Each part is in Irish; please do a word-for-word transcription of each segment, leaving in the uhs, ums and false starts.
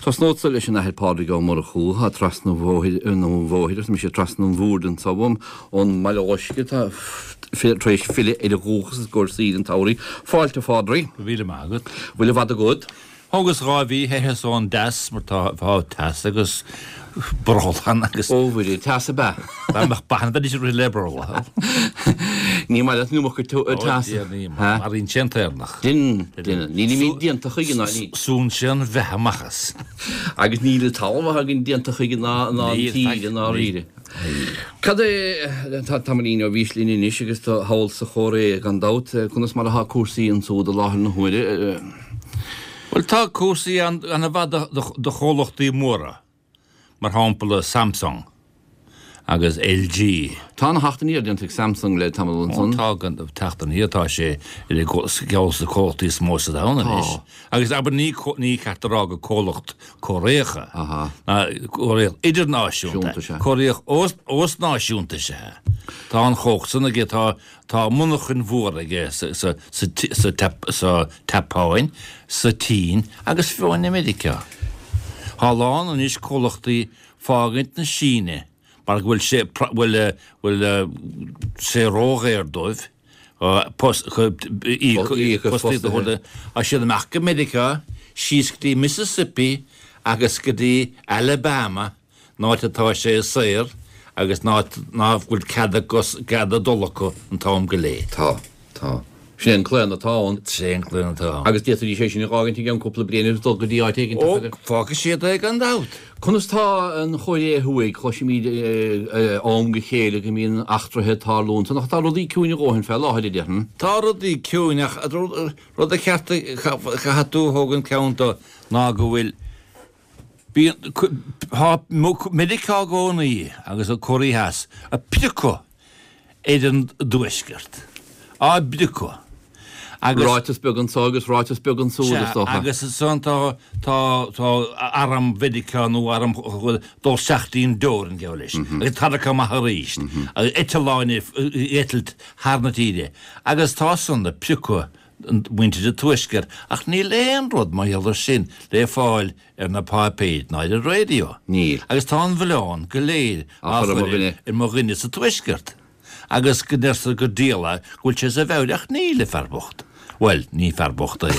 Tosnódsa leis an Athair Pádraig Ó Murchú, atá trasna an bhóthair, nó an bhóthair, arsa mise, trasna an bhoird anso uaim, ón mBaile Loiscthe, atá tar éis filleadh ar a dhúchas i gcomhair saoire an tsamhraidh. Fáilte, a Phádraig. Go raibh míle maith agat. Bhfuil i bhfad agat? Thógas dhá mhí theitheas ón dteas mar tá tá teas agus brothall ann agus. Ó Mhuire, teas ab ea? Dá mbeadh beatha bheidís ag rith le brothall. Ní maith leat an iomarca teasa. Ó Dia, ní maith. Maraíonn sé an t-Éireannach. Deineann, deineann. Nílimid déanta chuige ná ní. Súnn sé an bheatha amach as. Agus níl an talamh atá againn déanta chuige ná ná an tír i ndáiríre. Cad é, tá tamaillín ó bhís linn anois agus tú thall sa Chóiré gan dabht, conas mar atá cúrsaí ansúd i láthair na huaire? Bhuel, tá cúrsaí an-mhaith do chomhlachtaí móra, mar shampla Samsung agus LG. Tá an-theacht aniar déanta ag Samsung le tamall ansan. Tá, teacht aniar, tá sé ar cheann de na comhlachtaí is mó sa domhan anois. Agus abair ní ní ceart a rá gur comhlacht Cóiréach é, ná Cóiréach idirnáisiúnta, Cóiréach osnáisiúnta is ea. Tá an chumhacht san aige, tá Tá monarchain mhór aige sa tSeapáin, sa tSín agus fiú amháin i Meiriceá. Tá a lán anois comhlachtaí fágaint na Síne mar go bhfuil sé bhfuil bhfuil sé ródhaor dóibh post fostaíocht a thabhairt. Tá siad amach go Meiriceá, síos go dtí Mississippi agus go dtí Alabama. An áit atá sé saor agus an áit ná fuil cead a gcos, cead a dul acu an t-am go léir. Tá. Tá. Sin é an claonadh atá ann. Sin é an claonadh atá ann. Agus d'fhéadfaidís é sin a dh'fhágaint i gceann cúpla bliain agus dul go dtí áit éigin Ó, fágfaidh siad é gan dabht. Conas tá an Chóiré Thuaidh? Cloisimid ó am go chéile go mbíonn eachtraithe ag tarlú ansan, ach tá rudaí ciúin a dhóthain fé láthair, a déarfainn. Tá rudaí ciúin ach rud a cheart a chaithfidh tú a thógaint ceann de ná go bhfuil Bíonn, tá Meiriceá i gcónaí agus an Cóiré Theas ag priocadh ar an dTuaisceart, á bpriocadh agus. Ráiteas beag anso agus ráiteas beag ansúd, is dócha. Sea, agus ansan tá, tá, tá arm Mheiriceá nó arm dul isteach dtí an dteorainn, geall leis, agus tarrac amach arís, agus eitleáin ag eitilt thar na tíre, agus tá san ag priocadh muintir an Tuaiscirt, ach níl aon rud mar gheall air sin le fáil ar na páipéir ná ar an raidió. Níl. Agus tá an mhilleán go léir á chur ar mo dhuine sa Tuaisceart. Agus go ndeirtear gur diabhal é go bhfuil sé as a mheabhair ach níl, a fear bocht. Bhuel, ní fear bocht é.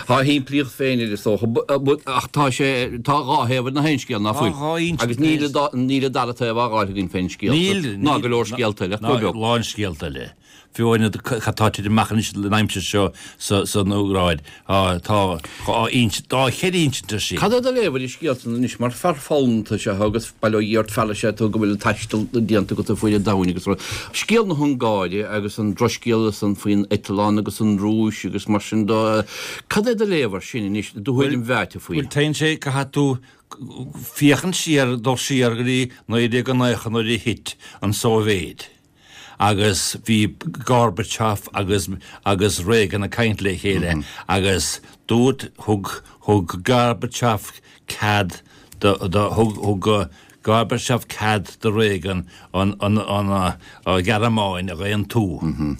Tá a shimplíocht féin air is dócha, ach tá sé, tá dhá thaobh ar na haon scéal, ná fuil? Tá dhá inse. Agus níl níl an dara taobh á fháil againn fén scéal Níl, ná go leor scéalta eile, ach go beag. Ná lán scéalta eile. Fiú amháin cad tá ag titim amach anois an aimsir seo san Úcráin, tá dhá insint, dhá cheithre insint air sin. Cad é do léamh ar an scéal san anois mar fear foghlamtha is ea thú agus bail ó Dhia ort fear is ea tú go bhfuil an taisteal déanta agat ar fuaid an domhain agus rud. Scéal na hUngáire agus an drochscéal san faoin eitleán agus an Rúis agus mar sin de, cad é do léamh air sin anois, do thuairim mheáite faoi? Bhuel, téann sé, caithfidh tú féachaint siar, dul siar go dtí naoi déag nócha nuair a thit an tSóivéid. agus bhí Gorbachev agus agus Reagan ag caint le chéile agus dúirt, thug, thug Gorbachev cead do, do, thug, thug Gorbachev cead do Reagan an, an, an Ghearmáin a aontú.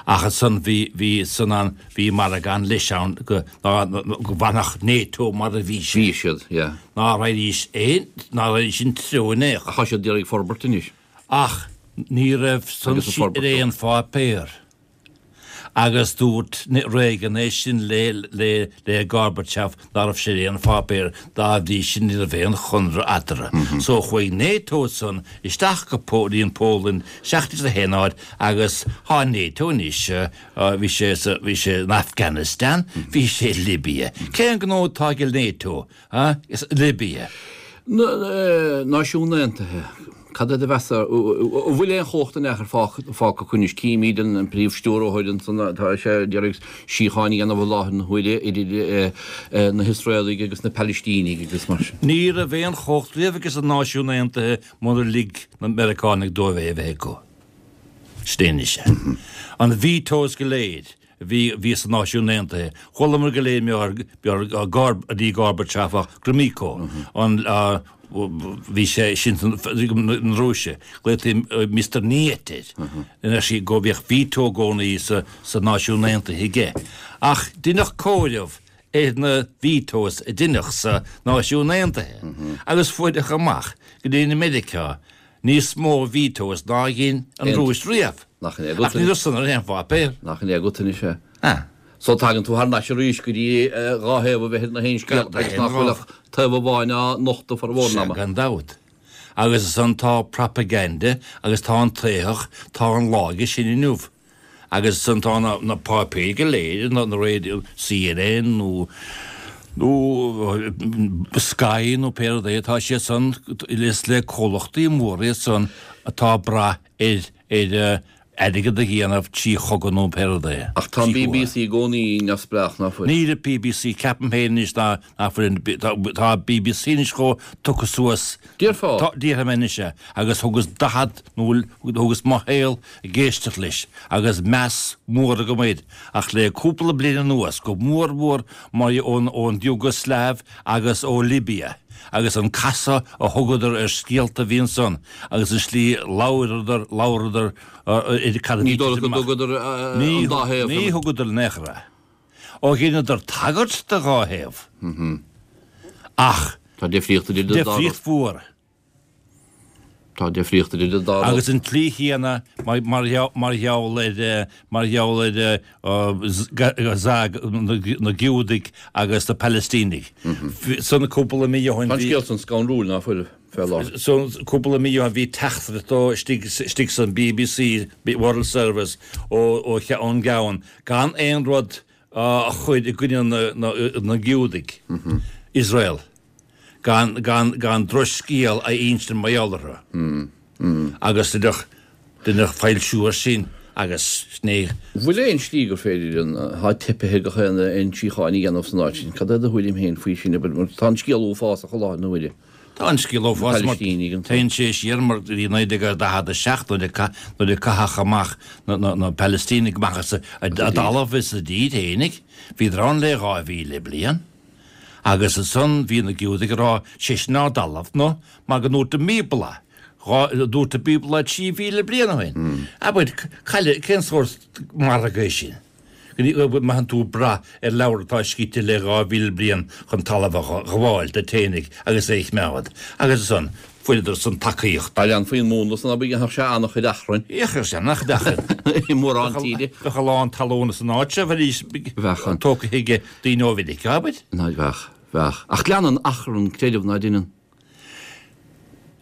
Ach ansan bhí, bhí san an, bhí margadh ann leis ann go, ná, go bhfanfadh NATO mar a bhí sé. Bhí siad, yeah. Ná raghaidís aon, ná raghaidís an treo in aon chor. Ach tá siad d'iarraidh forbairt anois. Ach ní raibh san ar aon pháipéar. Agus dúirt Reagan é sin le le Gorbachev ná raibh sé ar aon pháipéar, dá bhrí sin ní raibh aon chonradh eatarthu. So chuaigh NATO san isteach go dtí an Pholainn isteach sa haon áit agus tá NATO anois, bhí sé sa bhí sé in Afghanistan, bhí sé i Libya. Cén gnó atá ag NATO i Libya? Náisiún Aontaithe. Cad é do mheas ar, an bhfuil aon chumhacht in aon chor fágtha acu anois? Címid an Príomh-Stiúrthóir ansan, tá sé ag iarraidh síocháin a dhéanamh i láthair na huaire idir na hIosraelaigh agus na Palaistínigh agus mar sin. Ní raibh aon chumhacht riamh aige sna Náisiúin Aontaithe munar lig na Meiriceánaigh dóibh é a bheith acu. Sin é anois é. An vetoes go léir. a bhí bhí sna Náisiúin Aontaithe. Chualamar go léir mar Gorb ní Gorbachev ach Gromyko an bhí sé sin na Rúise. Glaotaí Mister Niet air. Ina sí go bhíodh veto i gcónaí sa sa Náisiún Aontaithe aige. Ach deineadh comhaireamh ar na vetoes a deineadh sa Náisiún Aontaithe agus fuaireadh amach go dtí Meiriceá níos mó vetoes ná dhein an Rúis riamh. Nach in é agat Ach ní raibh san ar aon pháipéar. Nach in é agat anois é. Ah. So tagann tú thar n-ais arís go dtí dhá thaobh a bheith ar na haon scéal agus nach bhfuil ach taobh amháin á nochtadh formhór an Sea, ama. gan dabht. Agus ansan tá propaganda agus tá an t-éitheach, tá an laige sin inniu. Agus ansan tá na, na páipéir go léir, na, na radio, CNN nó nó Sky nó pé rud é, tá siad san is le comhlachtaí móra iad san atá ag brath ar, ar airgead a dhéanamh trí chogadh nó pé rud é. Ach tá an BBC i gcónaí neamhspleách, ná fuil? Níl an BBC, ceapaim féin anois ná nach bhfuil an, tá, tá BBC anois chomh tugtha suas. Déarfá? Tá, déarfainn anois é, agus thugas daichead nó thugas mo shaol ag éisteacht leis agus meas mór agam air, ach le cúpla bliain anuas, go mór mór mar ón, ón Iúgaslaiv agus ó Libia. Agus an casadh a thugadar ar scéalta a bhí ansan agus an slí labhradar, labhradar ar cad a bhí Ní dóigh go dtugadar an dá thaobh. Ní thugadar in aon chor é. Ó dheineadar tagairt do dhá thaobh. Ach. Tá difríocht idir an dá rud. Difríocht mhór. Tá difríocht idir an dá rud. Agus an tslí chéanna mar gheall ar mar gheall ar Gaza na Giúdaigh agus na Palaistínigh. San cúpla mí ó shin Tá an scéal san scanrúil ná fuil fé láthair. San cúpla mí ó shin bhí teachtaireacht ó istigh istigh san BBC World Service ó ó ón gceann gan aon rud a chur i gcoinne na na Giúdaigh, Iosrael. gan, gan, gan drochscéal a insint mar gheall orthu. Agus deineadh, deineadh foilsiú air sin agus ní. Bhfuil aon slí gur féidir an, tá teipithe gach aon aon síocháin a dhéanamh san áit sin? Cad é do thuairim féin faoi sin, abair, mar tá an scéal uafásach i láthair na huaire. Tá an scéal uafásach mar téann sé siar mar bhí naoi déag daichead a seacht nuair a nuair a caitheadh amach na, na, na Palaistínigh amach as a, a dtalamh is a dtír fhéinig. Bhíodar ann le dhá mhíle bliain. Agus ansan bhí na Giúdaigh ag rá, sé sin ár dtalamh, nó mar go ndúirt an mBíobla, dhá, dúirt an Bíobla trí mhíle bliain ó shin. Abair, caille, cén sórt margadh é sin? Go mbeadh tú ag brath ar leabhar atá scríte le dhá mhíle bliain chun talamh a ghabháil duit fhéinig agus é a choimeád. Agus ansan, fuaireadar san tacaíocht. Dá leanfaí an múnla san abair dhéanfadh sé an-chuid achrainn. Dhéanfadh sé an-chuid achrainn. I mórán tíre. Bheadh a lán talún san áit seo, bheidís Bheadh an. tógtha ag daoine ó Mheiriceá, abair. Ná bheadh, bheadh. Ach leanann achrann creideamh, ná deineann?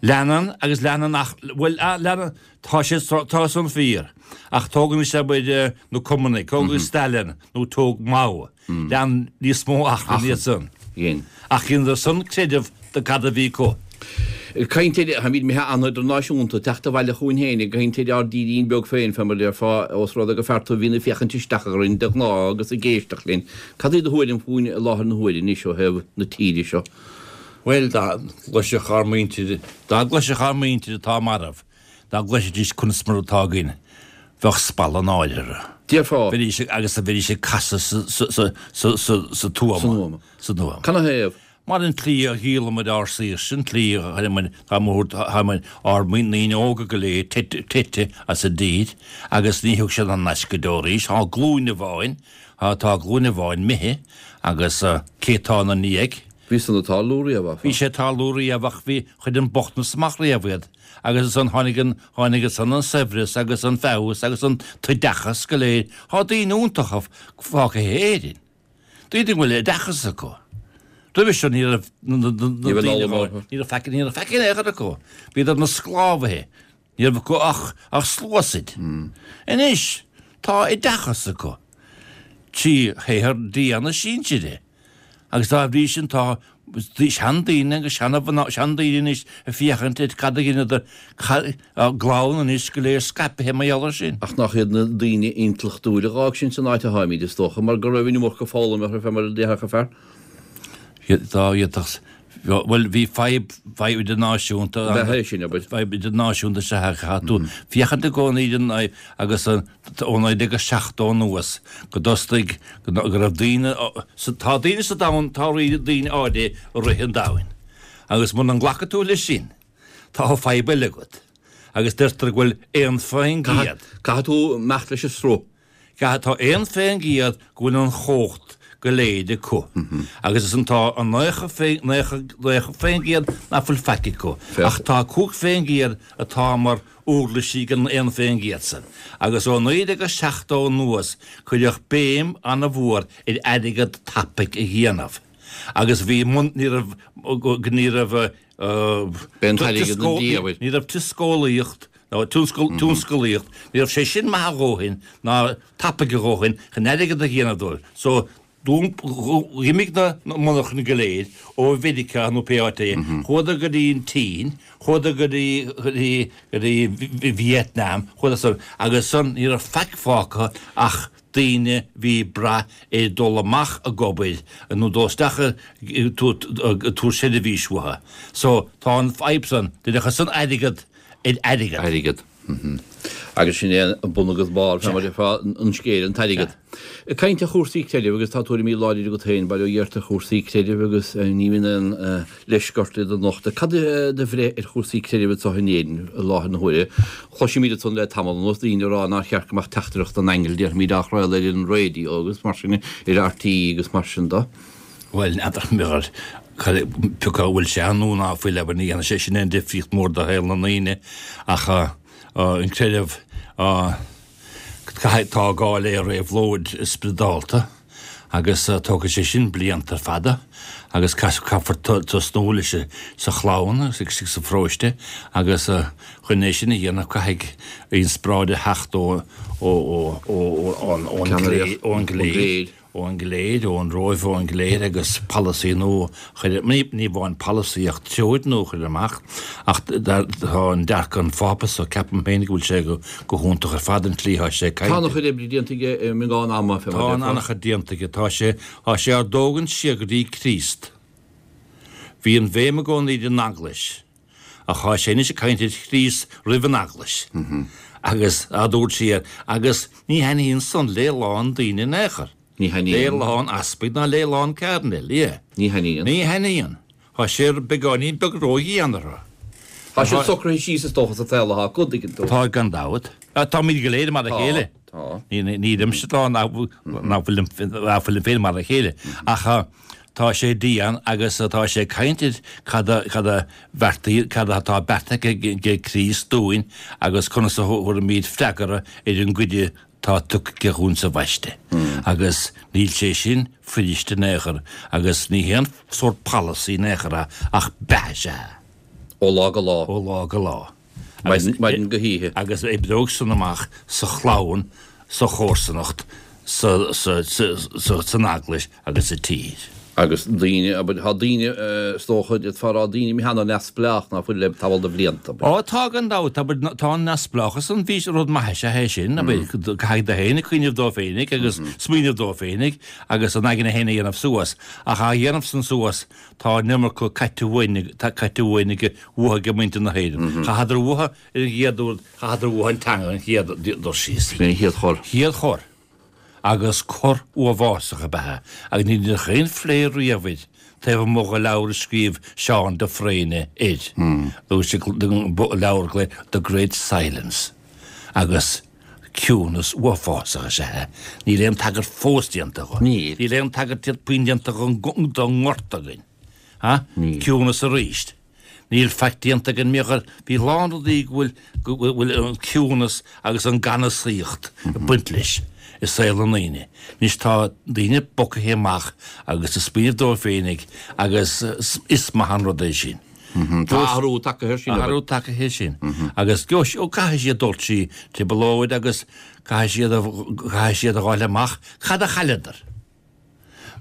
Leanann agus leanann ach, bhuel, leanann, tá sé, tá san fíor. Ach tóg anois abair na Cumannaigh, tóg Stalin nó tóg Mao. Lean níos mó achrainn iad san. Dhein. Ach dheineadar san creideamh de cad a bhí acu. Ag caint ar, táimid imithe an-idirnáisiúnta, teacht abhaile chugainn féin, ag caint ar ár dtírín beag féin, fé mar a déarfá, ós rud é gur fear tú a bhíonn ag féachaint isteach orainn de ghnáth agus ag éisteacht linn. Cad é do thuairim fúinn i láthair na huaire anois ó thaobh na tíre seo? Bhuel, dá gcloisfeadh ár muintir, dá gcloisfeadh ár muintir atá marbh, dá gcloisfidís conas mar atá againn, bheadh spalladh náire orthu. Déarfá. Bheidís ag, agus bheidís ag casadh sa, sa, sa, sa, sa, sa tuama. San uama. San uama. Canathaobh? Mar an tslí a dhíolamar ár saoirse, an tslí a chuireamar, tá muid, tá muid, ár ndaoine óga go léir teite as an dtír agus ní thiocfaidh siad thar n-ais go deo arís. Tá glúin amháin, tá glúin amháin imithe agus cé tá ina ndiaidh? Bhí san ag tarlú riamh, áfach. Bhí sé ag tarlú riamh ach bhí, chuir an bochtanas amach riamh iad agus ansan tháinig an, tháinig ansan an saibhreas agus an feabhas agus an t-oideachas go léir. Tá daoine iontacha fágtha in Éirinn. Daoine a bhfuil oideachas acu. Roimhe seo ní raibh na daoine ní raibh faic ní raibh faic in aon chor acu. Bhíodar ina sclábhaithe. Ní raibh acu ach ach sluasaid. Anois tá oideachas acu. Trí shaothar dian a sinsir. Agus dá bhrí sin tá seandaoine agus seana-mhná, seandaoine anois ag féachaint ar cad a dheineadar, a gclann anois go léir scaipthe mar gheall air sin. Ach nach iad na daoine intleachtúla a dh'fhág sinn san áit a tháimid, is dócha, mar go raibh an iomarca foghlama orthu, fé mar a déarfadh an fear. Dá bhféadfadh, bhuel, bhí fadhb, fadhb idirnáisiúnta Ab ea é sin, abair. Fadhb idirnáisiúnta is ea a chaithfidh tú féachaint i gcónaí ar an fhadhb agus ó naoi déag a seachtó anuas go dtosaigh, go raibh daoine, tá daoine sa domhan, tá daoine áirithe i rith an domhain agus muna nglacann tú leis sin, tá fadhb eile agat agus deirtear go bhfuil aon faoin gcéad. Caithfidh tú imeacht leis an sruth. Caithfidh, tá aon faoin gcéad go bhfuil an chumhacht go léir acu. Agus is an tá an nócha faoin gcéad nach bhfuil faic acu. Ach tá cúig faoin gcéad atá mar uirlisí ag an aon faoin gcéad san. Agus ó naoi déag seachtó anuas cuireadh béim an-mhór ar airgead tapaidh a dhéanamh. Agus bhí ní raibh ní raibh ní raibh tionsclaíocht nó tionsclaíocht, ní raibh sé sin maith a dhóthain ná tapaidh a dhóthain chun airgead a dhéanamh dóibh. So d'imigh na monarchana go léir ó Mheiriceá nó pé áit é, chuadar go dtí an tSín, chuadar go dtí go dtí go dtí Vietnam, chuadar san agus san ní raibh faic fágtha ach daoine bhí brath ar dul amach ag obair nó dul isteach ag tabhairt seirbhís uathu. So tá an fhadhb san, d'fhéadfadh san airgead ar airgead. Airgead. Agus sin é an bun agus barr fé mar a an scéal, an t-airgead. Ag caint ar chúrsaí creidimh agus tá tuairimí láidre agat féin, bail ó Dhia ort ar chúrsaí creidimh agus ní bhíonn aon leisce ort iad a nochtadh. Cad é do bhreith ar chúrsaí creidimh anseo in Éirinn i láthair na huaire? Cloisimid ansan le tamall anuas daoine ag rá nár cheart go mbeadh teachtaireacht an aingil, déarfaimid, á chraoladh ar an raidió agus mar sin, ar RTÉ agus mar sin de. Bhuel, n'fheadar mé pé acu an bhfuil sé ann nó ná fuil, abair, ní dhéanann sé sin aon difríocht mhór do shaol na ndaoine ach an creideamh, caithfidh, tá gá le réabhlóid spioradálta agus tógfaidh sé sin blianta fada agus caithfear tosnú leis sa chlann agus sa pharóiste agus chun é sin a dhéanamh caithfidh inspioráid a theacht ó ón gcléir. ón gcléir, ón Róimh, ón gcléir agus polasaí nua a chur, ní amháin polasaí ach treoir nua a chur amach ach tá an dearcadh an Phápa so ceapaim féin go bhfuil sé go hiontach ar fad an tslí atá sé ag caint. Tá an-chuid oibre déanta aige i mbeagán ama fé mar a déarfá. Tá an-chuid déanta aige. Tá sé, tá sé ár dtógaint siar go dtí Críost. Bhí an bhéim i gcónaí ar an Eaglais ach tá sé anois ag caint ar Chríost roimh an Eaglais agus á dtabhairt siar agus ní thaitníonn san le a lán daoine in aon chor. Ní thaitníonn. Le a lán easpaig ná le a lán cairdinéil, yeah. Ní thaitníonn. Ní thaitníonn. Tá sé beagáinín beag ródhian orthu. Tá siad socraithe síos is dócha sa tsaol atá acu, tuigeann tú. Tá, gan dabht. Táimid go léir mar a chéile. Tá. Nílimse ag rá nach bhfuilim féin mar a chéile. Ach tá sé dian agus tá sé ag caint ar cad a cad a bheartaigh, cad atá beartaithe ag Críost dúinn agus conas a thabharfaimid freagra ar an gcuireadh atá tugtha aige dhúinn sa bhaiste. Agus níl sé sin fuirist in aon chor agus ní haon sórt polasaí in aon chor é ach beatha is ea é. Ó lá go lá. Ó lá go lá. Maidin go hoíche. Agus oibreoidh san amach sa chlann, sa chomharsanacht, sa, sa, sa, sa, san eaglais agus sa tír. Agus daoine, abair, tá daoine, is dócha, d'fhéadfá a rá, daoine imithe an-neamhspleách ná fuil le tamall de bhlianta, abair. Ó, tá gan dabht, abair, tá an neamhspleáchas an, bhí, rud maith is ea é sin, abair, caithfidh tú féin cuimhneamh dó féinig agus smaoineamh dó féinig agus an aigne féin a dhéanamh suas, ach á dhéanamh san suas, tá an iomarca caite uainn, caite uainn ag, uathu ag muintir na hÉireann. Chaitheadar uathu ar an gcéad uair, chaitheadar uathu an teanga an chéad dul síos. Sin é an chéad chor. Chéad chor. Agus cor uafásach ab ea é, agus ní deineadh aon phlé riamh air, taobh amuigh de leabhar a scríobh Seán de Fréine air, leabhar a glaodh The Great Silence, agus ciúnas uafásach is ea é. Níl aon tagairt fós déanta dho. Níl. Níl aon tagairt puinn déanta don ngorta againn. Ha? Níl. Ciúnas arís. Níl faic déanta againn mar gheall, bhí a lán rudaí go bhfuil, go bhfuil an ciúnas agus an ganasaíocht ag baint leis i saol na ndaoine. Anois tá daoine bogtha amach agus ag smaoineamh dóibh féinig agus is maith an rud é sin. Tá athrú tagtha air sin. Athrú tagtha air sin. Agus ó caithfidh siad dul trí trioblóid agus caithfidh siad a, caithfidh siad a dh'fháil amach cad a chailleadar.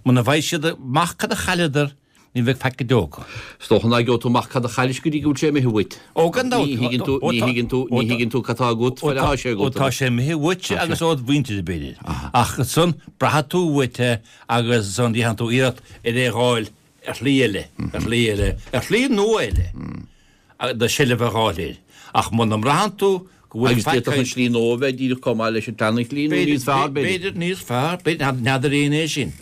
Muna bhfaighidh siad amach cad a chailleadar, ní bheidh faic go deo acu. Is dócha nach gheobhaidh tú amach cad a chaillis go dtí go bhfuil sé imithe uait. Ó, gan dabht. Ní thuigeann tú, ní thuigeann tú, ní thuigeann tú cad tá agat, fad atá sé agat. Ó, tá sé imithe uait agus ód mhuintir, b'fhéidir. Ach ansan, braithfidh tú uait é agus ansan déanfaidh tú iarracht ar é a dh'fháil ar shlí eile, ar shlí eile, ar shlí nua eile. Do sheilbh a dh'fháil air. Ach muna mbraitheann tú go bhfuil Agus faic d'fhéadfadh an slí nua a bheith díreach chomh maith leis an tseana-shlí nó níos fearr, b'fhéidir. B'fhéidir níos fearr, b'fhéidir, n'fheadar éinne é sin.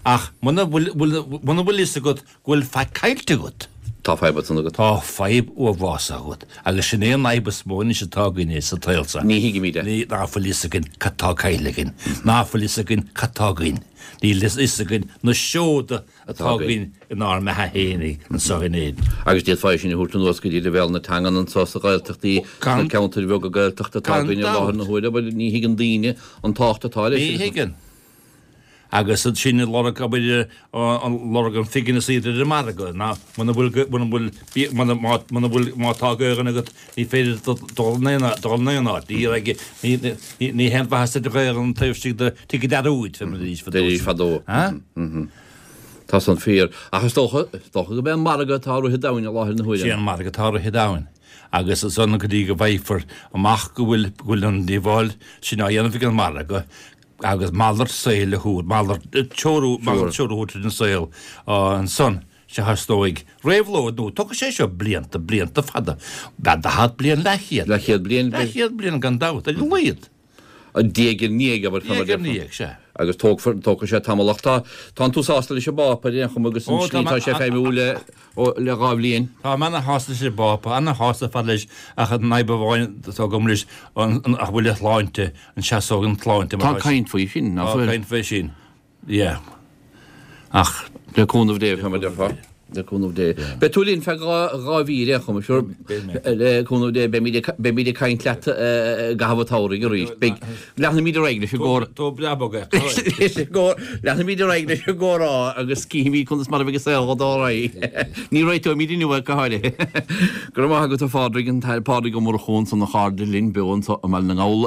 Ach muna bhfuil, muna bhfuil fhios agat go bhfuil faic caillte agat. Tá fadhb ansan agat. Tá fadhb uafásach agat. Agus sin é an fhadhb is mó anois atá againne sa tsaol seo. Ní thuigimid é. Ní, ná fuil fhios againn cad tá caillte againn. Ná fuil fhios againn cad tá againn. Níl fhios againn na seoda atá againn inár mbeatha fhéinig anseo in Éirinn. Agus d'fhéadfá é sin a thabhairt anuas go dtí leibhéal na teangan anseo sa Ghaeltachtaí, sna ceantair bheaga Gaeltachta atá againn i láthair na huaire, but ní thuigeann daoine an tábhacht atá leis. Ní thuigeann. Agus sin ag lorg, abair, lorg an phingin is iad ar an margadh, ná muna bhfuil, muna bhfuil, muna, má, muna bhfuil, má tá Gaelainn agat, ní féidir dul in aon, dul in aon áit. Ní raibh, ní, ní, ní haon mhaitheas duit Gaelainn taobh istigh de tigh an dearúid, fé mar a deiridís fadó. Deiridís fadó. Ha? Tá san fíor. Ach is dócha, is dócha go b'é an margadh atá ag rith an domhain i láthair na huaire. Sé an margadh atá ag rith an domhain. Agus ansan go dtí go bhfaighfear amach go bhfuil, go bhfuil an díobháil sin á dhéanamh ag an margadh, agus malairt saoil a thabhairt, malairt, treorú, malairt treorú a thabhairt ar an saol ansan, sea, theastóidh réabhlóid, nó tógfaidh sé seo blianta, blianta fada, b'fhéidir daichead bliain, leathchéad. Leathchéad bliain, b'fhéidir. Leathchéad bliain gan dabht, ar a laghad. Diaidh ar ndiaidh, abair, fá mar Diaidh ar ndiaidh, sea. Agus tógfar, tógfaidh sé tamall ach tá, tánn tú sásta leis an bPápa ar aon chuma agus an slí atá sé ag feidhmiú le, ó, le dhá bhliain. Tá mé ana-shásta leis an bPápa, ana-shásta ar fad leis ach an fhadhb amháin atá agam leis, an, an, an bhfuil a shláinte, an seasóidh an tsláinte mar Tá caint faoi sin, nach Tá bhfuil? caint faoi sin, yeah. Ach. Le cúnamh Dé, fá mar a déarfá. Le cúnamh Dé. Beidh tú linn feadh dhá, dhá mhí ar aon chuma, sure. Beidh mé. Le cúnamh Dé, beimid ag, beimid ag caint leat i gcaitheamh an tsamhraidh arís. Beidh, leanfaimid ar aghaidh leis an gcomhrá. Tó breá bog é. Leis an gcomhrá, leanfaimid ar aghaidh leis an gcomhrá agus cífimid conas mar a bheidh an saol ag dul ar aghaidh. Ní réiteoimid inniu é go háirithe. Go raibh maith agat a Phádraig, an tAthair Pádraig Ó Murchú ansan a chairde linn beo anso i mBaile na nGall.